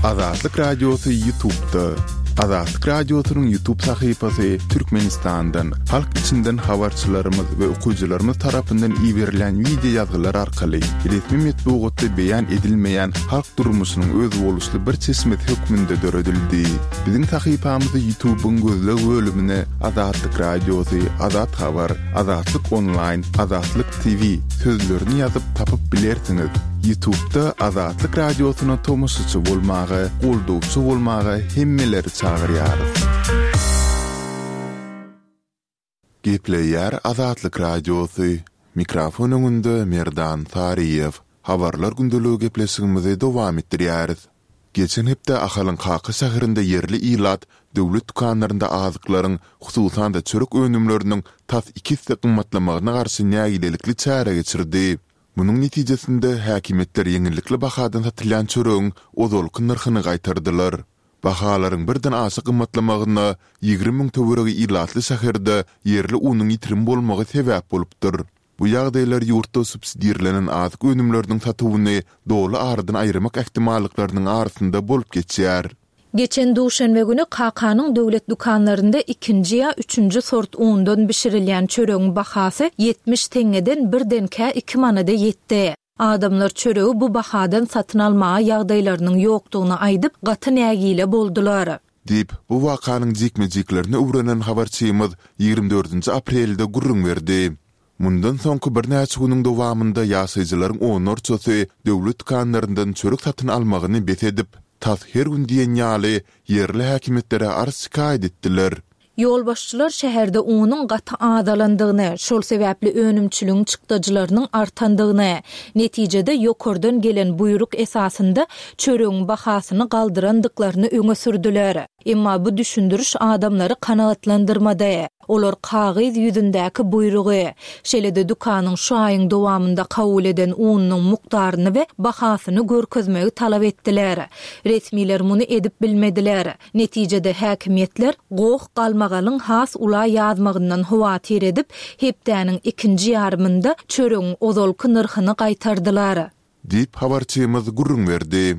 Azatlyk Radiosy Ýutubda. Azatlyk Radiosynyň Ýutub sahypasy Türkmenistandan, halk içinden habarçylarymyz we okyjylarymyz tarapyndan iberilýän wideo ýazgylar arkaly resmi metbugatda beýan edilmeýän halk durmuşynyň özboluşly bir çeşmesi hökmünde döredildi. Biziň sahypamyzy Ýutubyň gözleg bölümine Azatlyk Radiosy, Azat Habar, Azatlyk Onlaýn, Azatlyk TV sözlerini ýazyp tapyp bilersiňiz. Ýutubda Azatlyk Radiosyna tomaşaçy bolmaga, goldawçy bolmaga hemmeleri çagyrýarys. Gepleýär Azatlyk Radiosy, Mikrofon öňünde Merdan Saryýew. Habarlar gündeligi gepleşigimizi dowam etdirýäris. Geçen hepde Ahalyň Kaka şäherinde ýerli ilat döwlet dükanlarynda azyklaryň, hususan-da çörek önümleriniň tas iki esse gymmatlamagyna garşy nägilelikli çäre geçirdi. Munuň netijesinde, häkimiýetler ýeňillikli bahadan satylýan çöregiň ozalky nyrhyny gaýtardylar. Bahalaryň birden aşa gymmatlamagyna 20 müň töweregi ilatly şäherde ýerli unuň ýitirim bolmagy sebäp bolupdyr. Bu ýagdaýlar ýurtda subsidirlenen azyk önümleriniň satuwyny doly aradan aýyrmak ähtimallyklarynyň arasynda bolup geçýär. Geçen duşenbe güni Kakanyň döwlet dükanlarynda ikinji ýa üçünji sort undan bişirilýän çöregiň bahasy 70 teňňeden birdenkä iki manada ýetdi. Adamlar çöregi bu bahadan satyn almaga ýagdaýlarynyň ýokdugyny aýdyp, gaty nägile boldular. Diýip, bu wakanyň jikme-jiklerini öwrenen habarçymyz 24-nji aprelde gürrüň berdi. Mundan soňky birnäçe günüň dowamynda ýaşaýjylaryň onlarçasy döwlet dükanlaryndan çörek satyn almagyny bes edip, tas her gün diýen ýaly ýerli häkimiýetlere arz-şikaýat etdiler. Ýolbaşçylar şäherde unuň gaty azalandygyny, şol sebäpli önümçiligiň çykdajylarynyň artandygyny, netijede ýokardan gelen buýruk esasynda çöregiň bahasyny galdyrandyklaryny öňe sürdüler. Emma bu düşündiriş adamlary kanagatlandyrmady. Olar kagyz ýüzündäki buýrugy, şeýle-de dükanyň şu aýyň dowamynda kabul eden ununyň mukdaryny we bahasyny görkezmegi talap etdiler. Resmiler muny edip bilmediler. Netijede häkimiýetler goh-galmagalyň has ula ýazmagyndan howatyr edip, hepdäniň ikinji ýarymynda çöregiň ozalky nyrhyny gaýtardylar. Diýip, habarçymyz gürrüň berdi.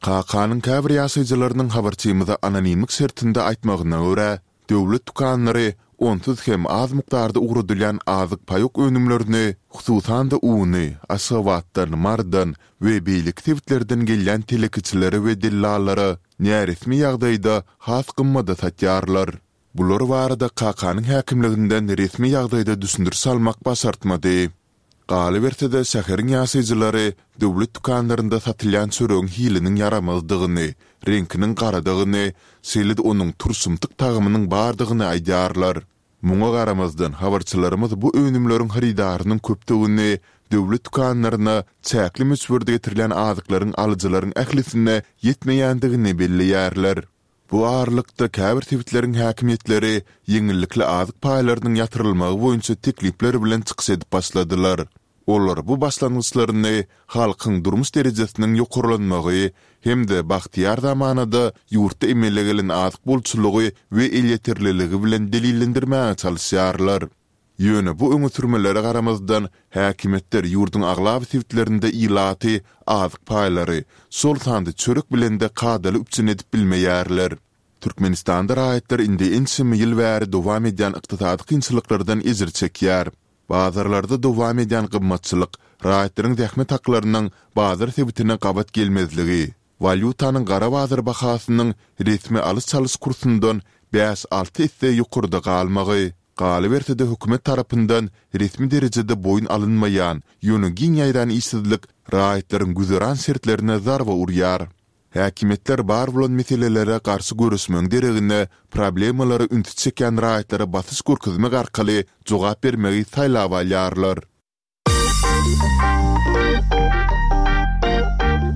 Kakanyň käbir ýaşaýjylarynyň habarçymyza anonimlik şertinde aýtmagyna görä, döwlet dükanlary onsuz hem az mukdarda ugradylýan azyk-paýok önümlerini, hususan-da uny Aşgabatdan, Marydan we beýleki sebitlerden gelýän telekeçilere we dellallara näresmi ýagdaýda has gymmada satýarlar. Bular barada Kakanyň häkimliginden resmi ýagdaýda düşündiriş almak başartmady. Galyberse-de, şäheriň ýaşaýjylary döwlet dükanlarynda satylýan çöregiň hiliniň ýaramazdygyny, reňkiniň garadygyny, şeýle-de onuň turşumtyk tagamynyň bardygyny aýdýarlar. Muňa garamazdan, habarçylarymyz bu önümleriň hyrydarynyň köpdügini, döwlet dükanlaryna çäkli möçberde getirilýän azyklaryň alyjylaryň ählisine ýetmeýändigini belleýärler. Bu aralykda, käbir sebitleriň häkimiýetleri ýeňillikli azyk paýlarynyň ýatyrylmagy boýunça teklipler bilen çykyş edip başladylar. Olar bu başlangyçlaryny halkyň durmuş derejesiniň ýokarlanmagy hem-de bagtyýar zamanada ýurtda emele gelen azyk bolçulygy we elýeterliligi bilen delillendirmäge çalyşýarlar. Ýöne bu öňe sürmelere garamazdan, häkimiýetler ýurduň aglaba sebitlerinde ilaty azyk paýlary, şol sanda çörek bilen-de kadaly üpjün edip bilmeýärler. Türkmenistanda raýatlar indi ençeme ýyl bäri dowam edýän ykdysady kynçylyklardan ejir çekýär. Bazarlarda dowam edýän gymmatçylyk, raýatlaryň zähmet haklarynyň bazar sebitine gabat gelmezligi, walýutanyň gara bazar bahasynyň resmi alyş-çalyş kursundan bäş-alty esse ýokarda galmagy, galyberse-de hökümet tarapyndan resmi derejede boýun alynmaýan, ýöne giň ýaýran işsizlik raýatlaryň güzeran şertlerine zarba urýar. Häkimiýetler bar bolan meselelere garşy göreşmegiň deregine, problemalara ünsi çekýän raýatlara basyş görkezmek arkaly jogap bermegi saýlap alýarlar.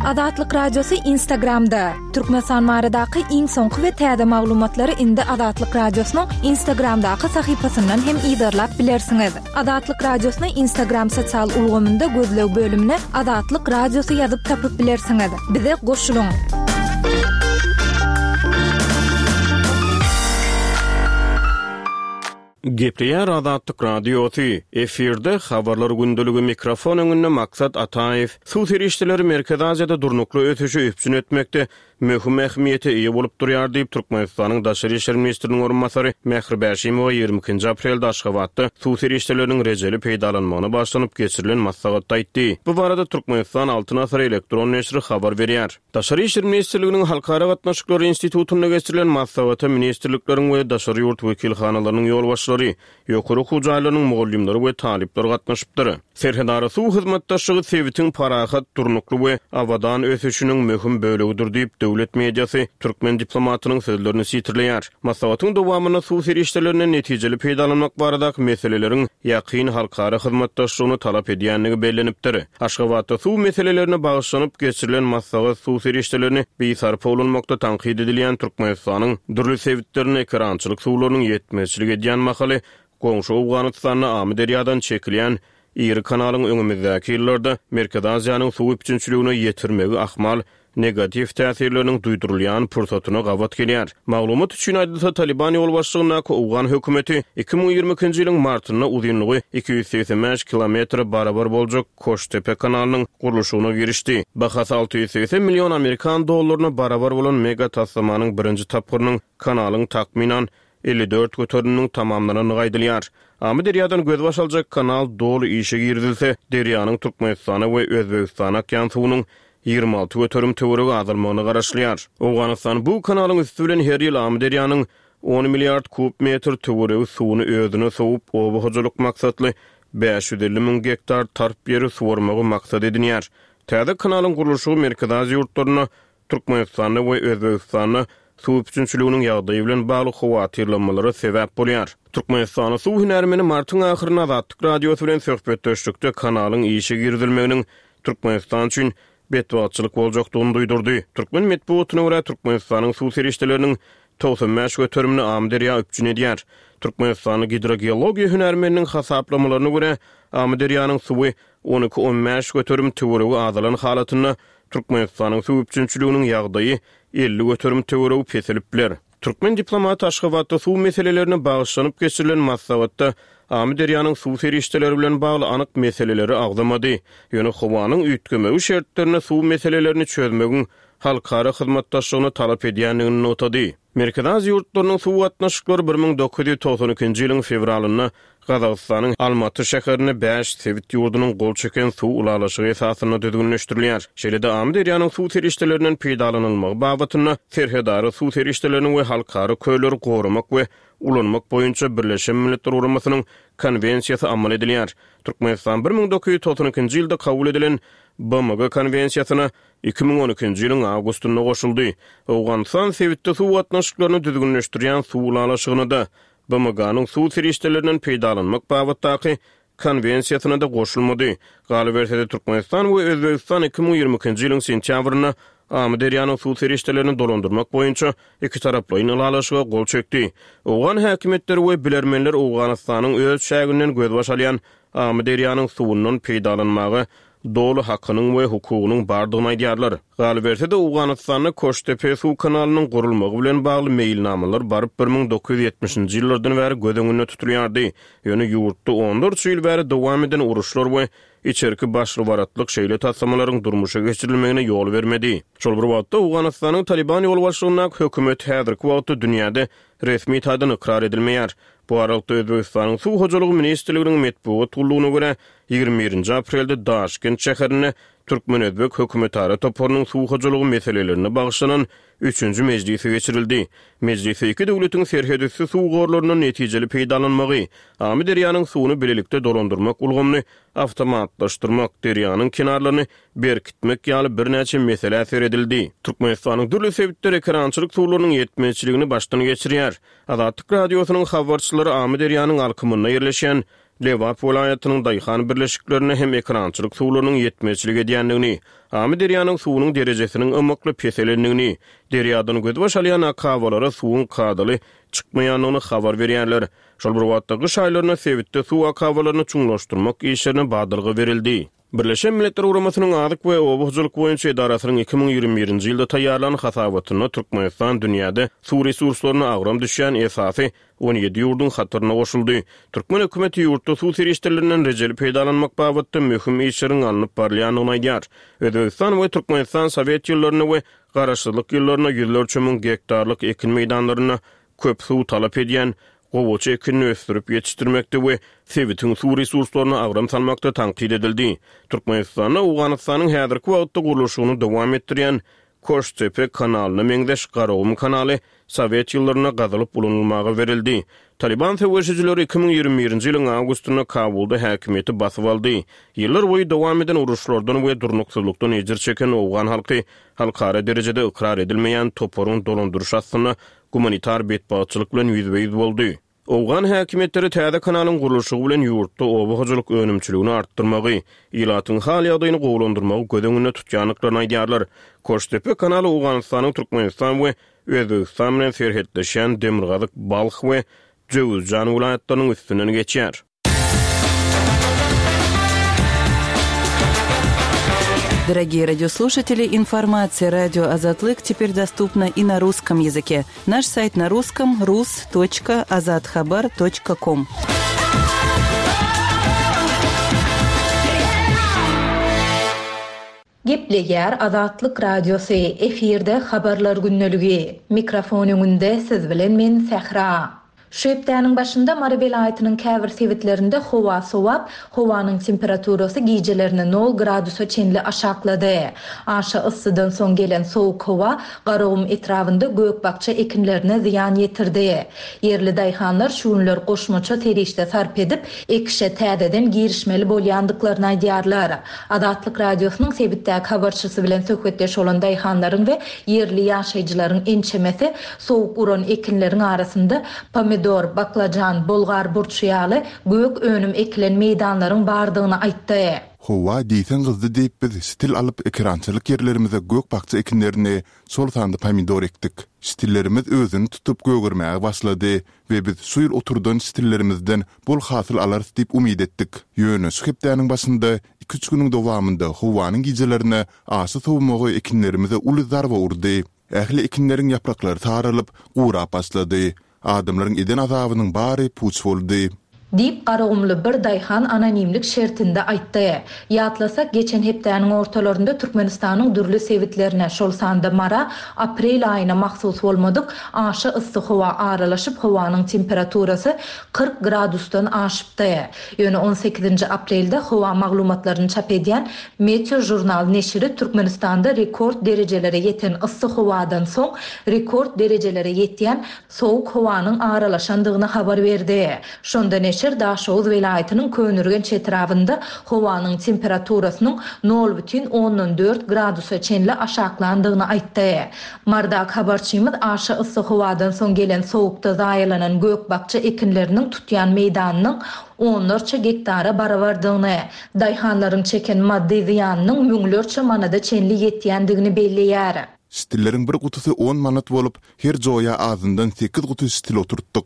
Azatlyk Radiosy Instagramda, Türkmenistan baradaky iň soňky we täze maglumatlary indi Azatlyk Radiosynyň Instagramdaky sahypasyndan hem yzarlap bilersiňiz. Azatlyk Radiosyny Instagram sosial ulgamynda gözleg bölümine Azatlyk Radiosy ýazyp tapyp bilersiňiz. Bize goşulyň! Gepleýär Azatlyk Radiosy, Efirde Habarlar gündeligi mikrofon öňünde Maksat Ataýew. Suw serişdeleri Merkezi Aziýada durnukly ösüşi üpjün etmekde. möhüm ähmiýete eýe bolup durýar diýip, Türkmenistanyň daşary işler ministriniň orunbasary Mähri Bäşimowa 22-nji aprelde Aşgabatda suw serişdeleriniň rejeli peýdalanmagyna bagyşlanyp geçirilen maslahatda aýtdy. Bu barada Türkmenistan Altyn asyr elektron neşiri habar berýär. Daşary işler ministrliginiň Halkara gatnaşyklary institutynda geçirilen maslahata ministrlikleriň we daşary ýurt wekilhanalarynyň ýolbaşçylary, ýokary okuw jaýlarynyň mugallymlary we talyplar gatnaşypdyr. Serhedara suw hyzmatdaşlygy sebitiň parahat, durnukly we abadan ösüşiniň möhüm bölegidir diýip, döwlet mediasy türkmen diplomatynyň sözlerini sitirleýär. Maslahatyň dowamynda suw serişdelerinden netijeli peýdalanmak baradaky meseleleriň ýakyn halkara hyzmatdaşlygyny talap edýändigi bellenipdir. Aşgabatda suw meselelerine bagyşlanyp geçirilen maslahat suw serişdelerini bisarpa ulanmakda tankyt edilýän Türkmenistanyň dürli sebitlerinde ekerançylyk suwlarynyň ýetmezçilik edýän mahaly Goňşy Owganystanda Amyderýadan çekilýän iri kanalyň öňümizdäki ýyllarda Merkezi Aziýanyň suw üpjünçiligine ýetirmegi ahmal negatiw täsirleriniň duýdurylýan pursatyna gabat gelýär. Maglumat üçin aýdylsa, Talyban ýolbaşçylygyndaky owgan hökümeti 2022-nji ýylyň martynda uzynlygy 285 kilometre barabar boljak Koştepe kanalynyň gurluşygyna girişdi. Bahasy 680 million amerikan dollaryna barabar bolan mega taslamanyň birinji tapgyrynyň kanalyň takmynan 54 göteriminiň tamamlanandygy aýdylýar. Amyderýadan gözbaş aljak kanal doly işe girizilse, derýanyň Türkmenistana we Özbegistana akýan suwunyň 26% töweregi azalmagyna garaşylýar. Owganystan bu kanalyň üsti bilen her ýyl Amyderýanyň on milliard kub metr töweregi suwuny özüne sowup, oba hojalyk maksatly 550 müň gektar tarp ýeri suwarmagy maksat edinýär. Täze kanalyň gurluşygy Merkezi Aziýa ýurtlarynda Türkmenistanda we Özbegistanda suw üpjünçiliginiň ýagdaýy bilen bagly howatyrlanmalara sebäp bolýar. Türkmenistanda suw hünärmeni martyň ahyrynda Azatlyk Radiosy bilen söhbetdeşlikde kanalyň işe girizilmeginiň Türkmenistan üçin betbagtçylyk boljakdygyny duýdurdy. Türkmen metbugatyna görä, Türkmenistanyň suw serişdeleriniň 95 göterimini Amyderýa üpjün edýär. Türkmenistanda gidrogeologiýa hünärmeniniň hasaplamalaryna görä, Amyderýanyň suwy on iki-on bäş göterim töweregi azalan halatynda Türkmenistanyň suw üpjünçiliginiň ýagdaýy 50% töweregi peselip biler. Türkmen diplomaty Aşgabatda suw meselelerine bagyşlanyp geçirilen maslahatda Amyderýanyň suw serişdeleri bilen bagly anyk meseleleri agzamady. Ýöne howanyň üýtgemegi şertlerinde suw meselelerini çözmegiň halkara hyzmatdaşlygyny talap edýändigini nygtady. Merkezi Aziýa ýurtlarynyň suw gatnaşyklary 1992-nji ýylyň fewralynda Gazagystanyň Almaty şäherinde bäş sebit ýurdunyň gol çeken suw ylalaşygy esasynda düzgünleşdirilýär. Şeýle-de Amyderýanyň suw serişdelerinden peýdalanylmagy babatynda serhedara suw serişdelerini we halkara kölleri goramak we ulanmak boýunça Birleşen Milletler Guramasynyň Konwensiýasy amal edilýär. Türkmenistan 1992-nji ýylda kabul edilen BMG Konwensiýasyna 2012-nji ýylyň awgustynda goşuldy. Owganystan sebitde suw gatnaşyklaryny düzgünleşdirýän suw ylalaşygyna-da, BMG-niň suw serişdelerinden peýdalanmak babatdaky Konwensiýasyna-da goşulmady. Galyberse-de, Türkmenistan we Özbegistan 2022-nji ýylyň sentýabrynda Amyderýanyň suw serişdelerini dolandyrmak boýunça ikitaraplaýyn ylalaşyga gol çekdi. Owgan häkimiýetleri we bilermenler Owganystanyň öz çäginden gözbaş alýan Amyderýanyň suwundan peýdalanmaga doly hakynyň we hukugynyň bardygyny aýdýarlar. Galyberse-de, Owganystanda Koştepe suw kanalynyň gurulmagy bilen bagly meýilnamalar baryp 1970-nji ýyllardan bäri göz öňünde tutulýardy. Ýöne ýurtda onlarça ýyl bäri dowam eden uruşlar we içerki başly-baratlyk şeýle taslamalaryň durmuşa geçirilmegine ýol bermedi. Şol bir wagtda, Owganystanyň Talyban ýolbaşçylygyndaky hökümet häzirki wagtda dünýäde resmi taýdan ykrar edilmeýär. Bu aralykda, Özbegistanyň Suw hojalygy ministrliginiň metbugat gullugyna görä, 21-nji aprelde Daşkent şäherinde türkmen-özbek hökümetara toparynyň suw hojalygy meselelerine bagyşlanan üçünji mejlisi geçirildi. Mejlisde iki döwletiň serhetüsti suw gorlaryndan netijeli peýdalanmagy, Amyderýanyň suwuny bilelikde dolandyrmak ulgamyny awtomatlaşdyrmak, derýanyň kenarlaryny berkitmek ýaly birnäçe meselä seredildi. Türkmenistanyň dürli sebitleri ekerançylyk suwlarynyň ýetmezçiligini başdan geçirýär. Azatlyk Radiosynyň habarçylary Amyderýanyň alkymynda ýerleşýän Lebap welaýatynyň daýhan birleşiklerinde hem ekerançylyk suwlarynyň ýetmezçilik edýändigini, Amyderýanyň suwunyň derejesiniň ymykly peselendigini, derýadan gözbaş alýan akabalara suwuň kadaly çykmaýandygyny habar berýärler. Şol bir wagtda, gyş aýlarynda sebitde suw akabalaryny çuňlaşdyrmak işlerine badalga berildi. Birleşen Milletler Guramasynyň Azyk we oba hojalyk boýunça edarasynyň 2021-nji ýylda taýýarlan hasabatynda Türkmenistan dünýäde suw resurslaryna agram düşýän esasy 17 ýurduň hataryna goşuldy. Türkmen hökümeti ýurtda suw serişdelerinden rejeli peýdalanmak babatda möhüm işleriň alnyp barylýandygyny aýdýar. Özbegistan we Türkmenistan sowet ýyllarynda we garaşsyzlyk ýyllarynda ýüzlerçe müň gektarlyk ekin meýdanlarynda köp suw talap edýän gowaça ekinini ösdürip ýetişdirmekde we sebitiň suw resurslaryna agram salmakda tankyt edildi. Türkmenistanda Owganystanyň häzirki wagtda gurluşygyny dowam etdirýän Koştepe kanalyna meňzeş Garagum kanaly sowet ýyllarynda gazylyp ulanylmaga berildi. Talyban söweşijileri 2021-nji ýylyň awgustynda Kabulda häkimiýeti basyp aldy. Ýyllar boýy dowam eden uruşlardan we durnuksyzlykdan ejir çeken owgan halky halkara derejede ykrar edilmeýän toparyň dolandyryşy astynda gumanitar betbagtçylyk bilen ýüzbe-ýüz boldy. Owgan häkimiýetleri täze kanalyň gurluşygy bilen ýurtda oba hojalyk önümçiligini artdyrmagy, ilatyň hal-ýagdaýyny gowulandyrmagy göz öňünde tutýandyklaryny aýdýarlar. Koştepe kanaly Owganystanyň Türkmenistan we Özbegistan bilen serhetleşýän Demirgazyk Balh we Jöwüzjan welaýatlarynyň üstünden geçýär. Дорогие радиослушатели, информация радио Азатлык теперь доступна и на русском языке. Наш сайт на русском rus.azathabar.com. Gepleýär Azatlyk Radiosy, efirde Habarlar gündeligi. Mikrofon öňünde siz bilen men Sähra. Şu hepdäniň başynda Mary welaýatynyň käbir sebitlerinde howa sowap, howanyň temperaturasy gijelerine nol gradusa çenli aşaklady. Aşa yssydan soň gelen sowuk howa Garagum etrabynda gök-bakja ekinlerine zyýan ýetirdi. Ýerli daýhanlar şu günler goşmaça serişde sarp edip, ekişe täzeden girişmeli bolýandyklaryny aýdýarlar. Azatlyk Radiosynyň sebitdäki habarçysy bilen söhbetdeş bolan daýhanlaryň we ýerli ýaşaýjylaryň ençemesi sowuk uran ekinleriň arasynda pomidor, baklajan, bolgar burçy ýaly gök önüm ekilen meýdanlaryň bardygyny aýtdy. Howa diýseň gyzdy diýip biz şitil alyp ekerançylyk ýerlerimize gök-bakja ekinlerini, şol sanda pomidor ekdik. Şitillerimiz özüni tutup gögermäge başlady we biz şu ýyl oturdan şitillerimizden bol hasyl alarys diýip umyt etdik. Ýöne şu hepdäniň başynda iki-üç günüň dowamynda howanyň gijelerine aşa sowmagy ekinlerimize uly zarba urdy. Ähli ekinleriň ýapraklary saralyp, gurap başlady. Adamlaryň eden azabynyň bary puç boldy. Diýip, garagumly bir daýhan anonimlik şertinde aýtdy. Ýatlasak, geçen hepdäniň ortalarynda Türkmenistanyň dürli sebitlerine, şol sanda Mara aprel aýyna mahsus bolmadyk aşa yssy howa aralaşyp, howanyň temperaturasy 40 gradusdan aşypdy. Ýöne on sekizinji aprelde howa maglumatlaryny çap edýän Meteožurnal neşiri Türkmenistanda rekord derejelere ýeten yssy howadan soň rekord derejelere ýetýän sowuk howanyň aralaşandygyny habar berdi. Şonda neşir Daşoguz welaýatynyň Köneürgenç etrabynda howanyň temperaturasynyň nol bütin ondan dört gradusa çenli aşaklandygyny aýtdy. Mardak habarçymyz aşa yssy howadan soň gelen sowukda zaýalanan gök-bakja ekinleriniň tutýan meýdanynyň onlarça gektara barabardygyny, daýhanlaryň çeken maddy zyýanynyň müňlerçe manada çenli ýetýändigini belleýär. Şitilleriň bir gutusy on manat bolup, her joýa azyndan sekiz guty şitil oturtdyk.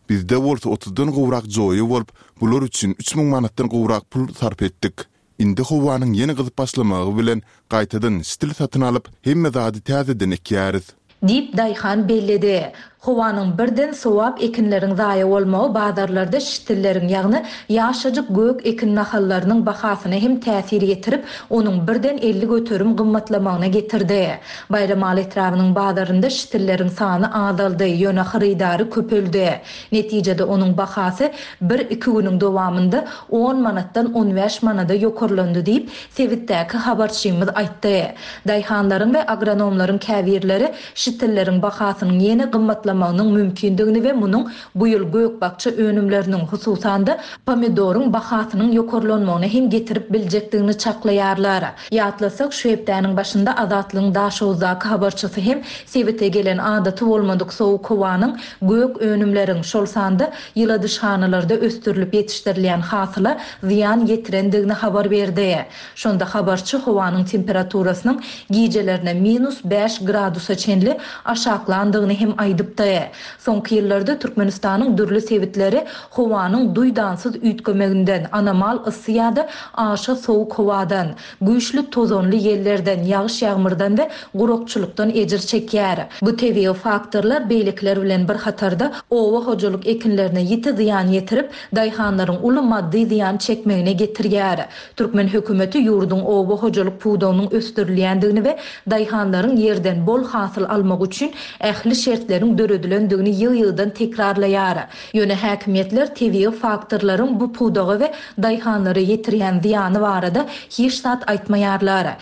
Bizde bolsa otuzdan gowrak joýa bolup, bular üçin 3000 manatdan gowrak pul sarp etdik. Indi howanyň ýene gyzyp başlamagy bilen gaýtadan şitil satyn alyp, hemme zady täzeden ekýäris. Diýip, daýhan belledi. Howanyň birden sowap ekinleriň zaýa bolmagy bazarlarda şitilleriň, ýagny ýaşajyk gök ekin nahallarynyň bahasyna hem täsir ýetirip, onuň birden 50% gymmatlamagyna getirdi. Baýramaly etrabynyň bazarynda şitilleriň sany azaldy, ýöne hyrydary köpeldi. Netijede onuň bahasy bir-iki günüň dowamynda on manatdan on bäş manada ýokarlandy diýip, sebitdäki habarçymyz aýtdy. Daýhanlaryň we agronomlaryň käbirleri şitilleriň bahasynyň ýene gymmatlamagynyň mümkindigini we munuň bu ýyl gök-bakja önümleriniň, hususan-da, pomidoryň bahasynyň ýokarlanmagyna hem getirip biljekdigini çaklaýarlar. Ýatlasak, şu hepdäniň başynda Azatlygyň Daşoguzdaky habarçysy hem sebite gelen adaty bolmadyk sowuk howanyň gök önümleriň, şol sanda ýyladyşhanalarda ösdürilip ýetişdirilýän hasyla zyýan ýetirendigini habar berdi. Şonda habarçy howanyň temperaturasynyň gijelerine minus bäş gradusa çenli aşaklandygyny hem aýdypdy. aýdypdy. Soňky ýyllarda Türkmenistanyň dürli sebitleri howanyň duýdansyz üýtgemeginden, anomal yssy ýa-da aşa sowuk howadan, güýçli tozanly ýellerden, ýagyş-ýagmyrdan we gurakçylykdan ejir çekýär. Bu tebigy faktorlar beýlekiler bilen bir hatarda oba hojalyk ekinlerine ýiti zyýan ýetirip, daýhanlaryň uly maddy zyýan çekmegine getirýär. Türkmen hökümeti ýurduň oba hojalyk pudagynyň ösdürilýändigini we daýhanlaryň ýerden bol hasyl almagy üçin ähli şertleriň döredilendigini ýygy-ýygydan tekrarlaýar. Ýöne häkimiýetler tebigy faktorlaryň bu pudaga we daýhanlara ýetirýän zyýany barada hiç zat aýtmaýarlar.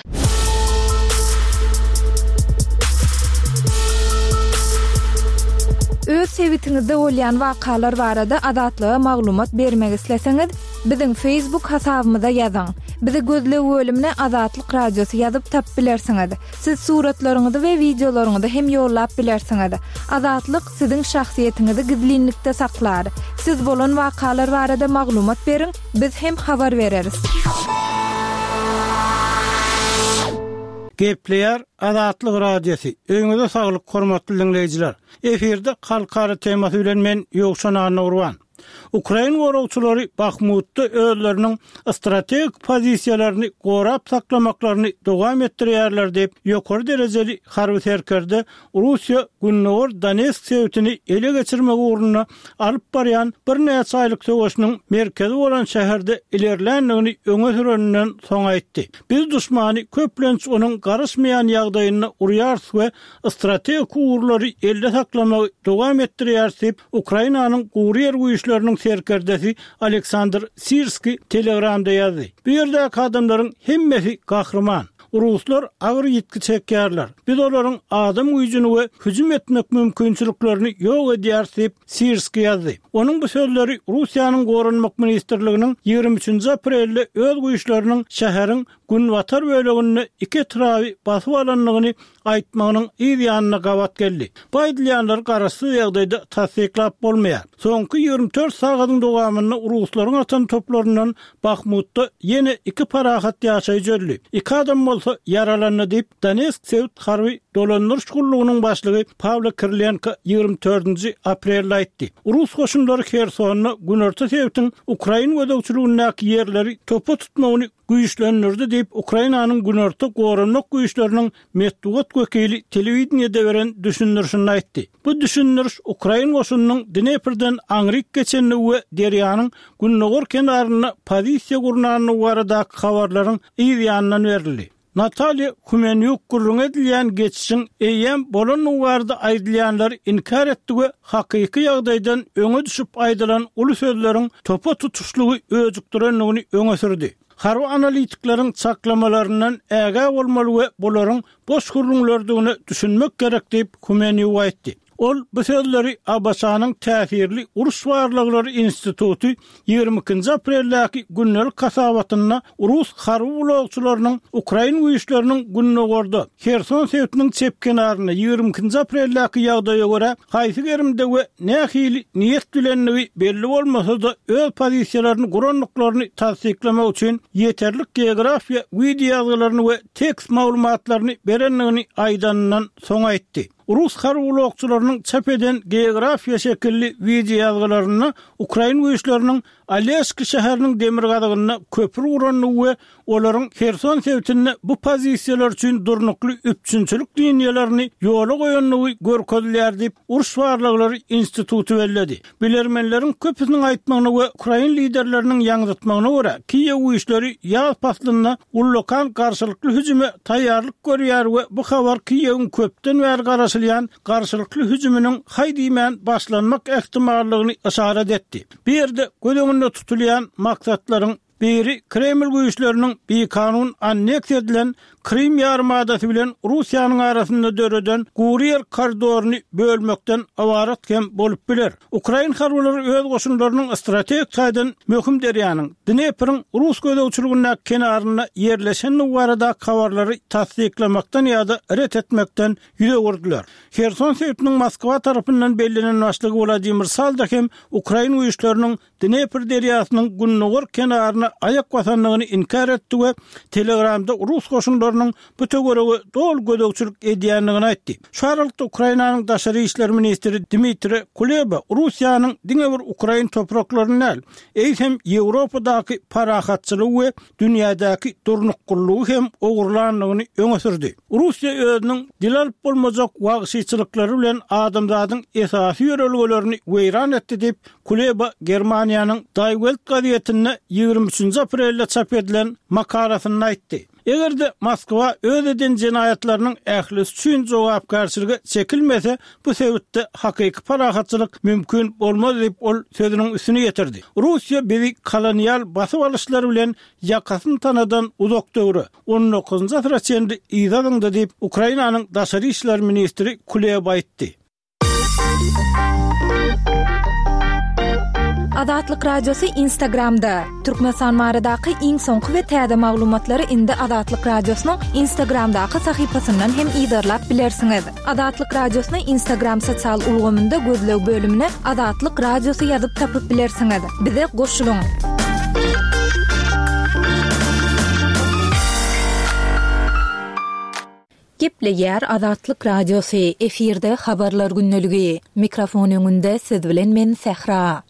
Öz sebitiňizde bolýan wakalar barada Azatlyga maglumat bermek isleseňiz, biziň Facebook hasabymyza ýazyň. Bizi gözleg bölümine Azatlyk Radiosy ýazyp tapyp bilersiňiz. Siz suratlaryňyzy we wideolaryňyzy hem ýollap bilersiňiz. Azatlyk siziň şahsyýetiňizi gizlinlikde saklar. Siz bolan wakalar barada maglumat beriň, biz hem habar bereris. Gepleýär Azatlyk Radiosy, Öýüňize saglyk hormatly diňleýjiler! Efirde Halkara temasy bilen men Ýowşan Annagurban. Ukrain goragçylary Bahmutda özleriniň strategik pozisiýalaryny gorap saklamaklaryny dowam etdirýärler diýip, ýokary derejeli harby serkerde Russiýa gündogar Donetsk sebitini ele geçirmek ugrunda alyp barýan birnäçe aýlyk söweşiniň merkezi bolan şäherde ilerländigini öňe süreninden soň aýtdy. Biz duşmany köplenç onuň garaşmaýan ýagdaýynda urýarys we strategik ugurlary elde saklamagy dowam etdirýäris diýip, Ukrainanyň gury ýer güýçleriniň serkerdesi Aleksandr Sirskiý Telegramda ýazdy. Bu ýerdäki adamlaryň hemmesi gahryman. Ruslar agyr ýitgi çekýärler. Biz olaryň adam güýjüni we hüjüm etmek mümkinçiliklerini ýok edýäris diýip, Sirskiý ýazdy. Onuň bu sözleri Russiýanyň Goranmak ministrliginiň 23-nji aprelde öz güýçleriniň şäheriň günbatar böleginde iki etraby basyp alandygyny aýtmagynyň yz ýanyna gabat geldi. Bu aýdylýanlary garaşsyz ýagdaýda tassyklap bolmaýar. Soňky 24 sagadyň dowamynda ruslaryň atan toplaryndan Bahmutda ýene iki parahat ýaşaýjy öldi, iki adam bolsa ýaralandy diýip, Donetsk sebit harby dolandyryş gullugynyň başlygy Pawlo Kirilenko 24-nji aprelde aýtdy. Rus goşunlary Hersonda günorta sebitiň ukrain gözegçiligindäki ýerleri topa tutmagyny güýçlendirdi diýip, Ukrainanyň Günorta Goranmak güýçleriniň metbugat wekili telewideniýede beren düşündirişinde aýtdy. Bu düşündiriş ukrain goşunynyň Dneprden aňryk geçendigi we derýanyň gündogar kenarynda pozisiýa gurnandygy baradaky habarlaryň yz ýanyndan berildi. Natalýa Humenýuk gürrüňi edilýän geçişiň eýýäm bolandygy barada aýdylýanlary inkär etdi we hakyky ýagdaýdan öňe düşüp aýdylan uly sözleriň topa tutuşlygy öjükdirendigini öňe sürdi. Harby analitikleriň çaklamalaryndan ägä bolmaly we bularyň boş gürrüňlerdigine düşünmek gerek diýip, Humenýuk aýtdy. Ol bu sözleri ABŞ-nyň täsirli uruş barlaglary instituty 22-nji apreldäki gündelik hasabatynda rus harby ulagçylarynyň ukrain güýçleriniň gündogarda, Herson sebitiniň çep kenarynda 22-nji apreldäki ýagdaýa görä haýsy gerimde we nähili niýet bilendigi belli bolmasa-da öz pozisiýalaryny gurandyklaryny tassyklamak üçin ýeterlik geografiýa wideoýazgylaryny we tekst maglumatlaryny berendigini aýdanyndan soň aýtdy. Rus harby ulagçylarynyň çap eden geografiýa şekilli wideoýazgylarynda ukrain güýçleriniň Oleski şäheriniň demirgazygynda köpri gurandygy we olaryň Herson sebitinde bu pozisiýalar üçin durnukly üpjünçilik liniýalaryny ýola goýandygy görkezilýär diýip, Uruş barlaglary instituty belledi. Bilermenleriň köpüsiniň aýtmagyna we ukrain liderleriniň ýaňzytmagyna görä, Kiýew güýçleri ýaz paslynda ullakan garşylykly hüjüme taýýarlyk görýär we bu habar Kiýewiň köpden bäri garaşylýan garşylykly hüjüminiň haý diýmän başlanmak ähtimallygyny yşarat etdi. Bu ýerde göz öňünde tutulýan maksatlaryň biri Kreml güýçleriniň bikanun anneksiýa edilen Krym ýarymadasy bilen Russiýanyň arasynda döreden gury ýer koridoryny bölmekden ybarat hem bolup biler. Ukrain harbylary öz goşunlarynyň strategik taýdan möhüm derýanyň, Dnepriň rus gözegçiligindäki kenarynda ýerleşendigi baradaky habarlary tassyklamakdan ýa-da ret etmekden ýüz öwürdiler. Herson sebitiniň Moskwa tarapyndan bellenen başlygy Wladimir Saldo hem ukrain güýçleriniň Dnepr derýasynyň gündogar kenaryna. topraklaryna aýak basandygyny inkär etdi we Telegramda rus goşunlarynyň bu töwerege doly gözegçilik edýändigini aýtdy. Şu aralykda Ukrainanyň daşary işler ministri Dmitriý Kuleba Russiýanyň diňe bir ukrain topraklaryny däl, eýsem Ýewropadaky parahatçylygy we dünýädäki durnuklylygy hem ogurlandygyny öňe sürdi. Russiýa özüniň dil alyp bolmajak wagşyçylyklary bilen adamzadyň esasy ýörelgelerini weýran etdi diýip, Kuleba Germaniýanyň Die Welt gazetinde 23-nji aprelde çap edilen makalasynda aýtdy. Eger-de Moskwa öz eden jenaýatlarynyň ählisi üçin jogapkärçilige çekilmese, bu sebitde hakyky parahatçylyk mümkin bolmaz diýip, ol sözüniň üstüni ýetirdi. Russiýa bizi kolonial basyp alyşlar bilen ýakasyny tanadan uzak döwre, on dokuzynjy asyra çenli yza zyňdy diýip, Ukrainanyň daşary işler ministri Kuleba aýtdy. Azatlyk Radiosy Instagramda, Türkmenistan baradaky iň soňky we täze maglumatlary indi Azatlyk Radiosynyň Instagramdaky sahypasyndan hem yzarlap bilersiňiz. Azatlyk Radiosyny Instagram sosial ulgamynda gözleg bölümine Azatlyk Radiosy ýazyp tapyp bilersiňiz. Bize goşulyň! Gepleýär Azatlyk Radiosy, efirde Habarlar gündeligi. Mikrofon öňünde siz bilen men Sähra.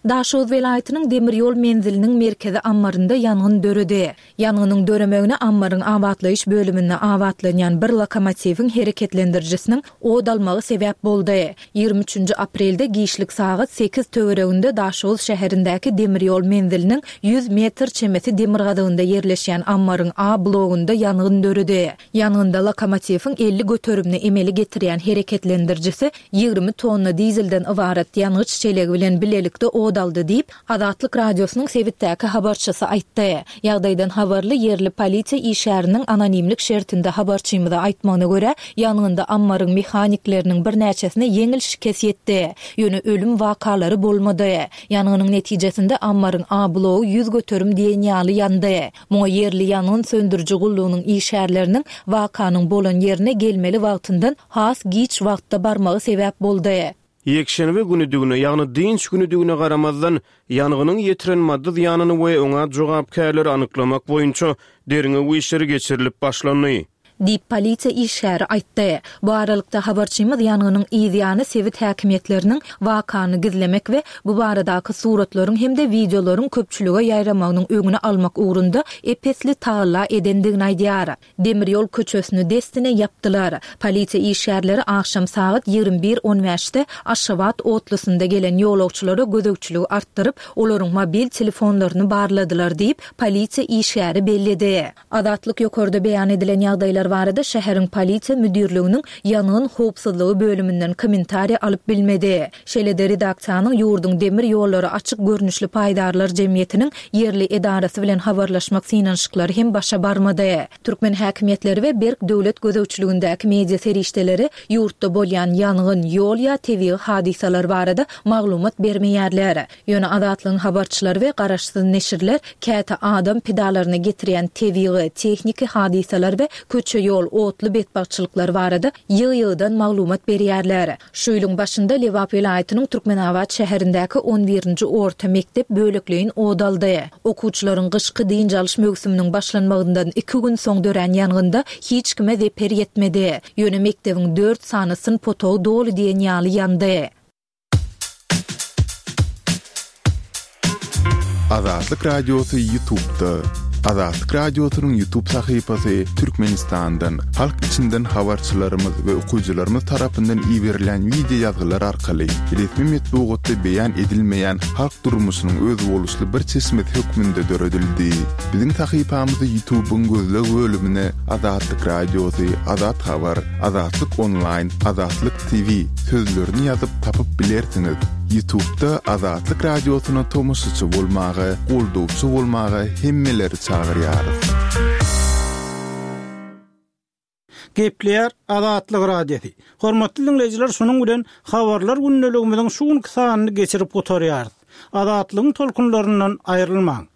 Daşoguz welaýatynyň demir ýol menziliniň merkezi ammarynda ýangyn döredi. Ýangynyň döremegine ammaryň abatlaýyş bölüminde abatlanýan bir lokomotiwiň hereketlendirijisiniň ot almagy sebäp boldy. 23-nji aprelde giçlik sagat sekiz töwereginde Daşoguz şäherindäki demir ýol menziliniň 100 metr çemesi demirgazygynda ýerleşýän ammaryň A blogunda ýangyn döredi. Ýangynda lokomotiwiň 50 göterimini emele getirýän hereketlendirijisi 20 tonna dizelden ybarat ýangyç çelegi bilen bilelikde ot aldy diýip, Azatlyk Radiosynyň sebitdäki habarçysy aýtdy. Ýagdaýdan habarly ýerli polisiýa işgäriniň anonimlik şertinde habarçymyza aýtmagyna görä, ýangynda ammaryň mehanikleriniň birnäçesine ýeňil şikes ýetdi. Ýöne ölüm wakalary bolmady. Ýangynyň netijesinde ammaryň A blogy 100% diýen ýaly ýandy. Muňa ýerli ýangyn söndüriji gullugynyň işgärleriniň wakanyň bolan ýerine gelmeli wagtyndan has giç wagtda barmagy sebäp boldy. Ýekşenbe günüdigine, ýagny dynç günüdigine garamazdan, ýangynyň ýetiren maddy zyýanyny we oňa jogapkärleri anyklamak boýunça derňew işleri geçirilip başlandy. Diýip, polisiýa işgäri aýtdy. Bu aralykda, habarçymyz ýangynyň yz ýany sebit häkimiýetleriniň wakany gizlemek we bu baradaky suratlaryň hem-de wideolaryň köpçülige ýaýramagynyň öňüni almak ugrunda ep-esli tagalla edendigini aýdýar. Demir ýol köçesini dessine ýapdylar. Polisiýa işgärleri agşam sagat 21 on bäşde Aşgabat otlusynda gelen ýolagçylara gözegçiligi artdyryp, olaryň mobil telefonlaryny barladylar diýip, polisiýa işgäri belledi. Azatlyk ýokarda beýan edilen ýagdaýlar barada şäheriň polisiýa müdirliginiň ýangyn howpsuzlygy bölüminden kommentariýa alyp bilmedi. Şeýle-de redaksiýanyň ýurduň demir ýollary açyk görnüşli paýdarlar jemgyýetiniň ýerli edarasy bilen habarlaşmak synanyşyklary hem başa barmady. Türkmen häkimiýetleri we berk döwlet gözegçiligindäki media serişdeleri ýurtda bolýan ýangyn, ýol ýa tebigy hadysalar barada maglumat bermeýärler. Ýöne Azatlygyň habarçylary we garaşsyz neşirler käte adam pidalaryna getirýän tebigy, tehniki hadysalar we köçe-ýol, otly betbagtçylyklary barada ýygy-ýygydan maglumat berýärler. Şu ýylyň başynda Lebap welaýatynyň Türkmenabat şäherindäki on birinji orta mekdep bölekleýin ot aldy. Okuwçylaryň gyşky dynç alyş möwsüminiň başlanmagyndan iki gün soň dörän ýangynda hiç kime zeper ýetmedi. Ýöne mekdebiň dört sany synp otagy doly diýen ýaly ýandy. Azatlyk Radiosy YouTube'da. Azatlyk Radiosynyň YouTube sahypasy Türkmenistandan, halk içinden habarçylarymyz we okyjylarymyz tarapyndan iberilen wideo ýazgylar arkaly resmi metbugatda beýan edilmeýän halk durmuşynyň özboluşly bir çeşmesi hökmünde döredildi. Biziň sahypamyzy YouTube'yň gözleg bölümine Azatlyk Radiosy, Azat Habar, Azatlyk Onlaýn, Azatlyk TV sözlerini ýazyp tapyp bilersiňiz. Ýutubda Azatlyk Radiosyna tomaşaçy bolmaga, goldawçy bolmaga hemmeleri çagyrýarys. Gepleýär Azatlyk Radiosy. Hormatly diňleýjiler şunuň bilen Habarlar gündeligimiziň şu günki sanyny geçirip gutarýarys. Azatlygyň tolkunlaryndan aýrylmaň.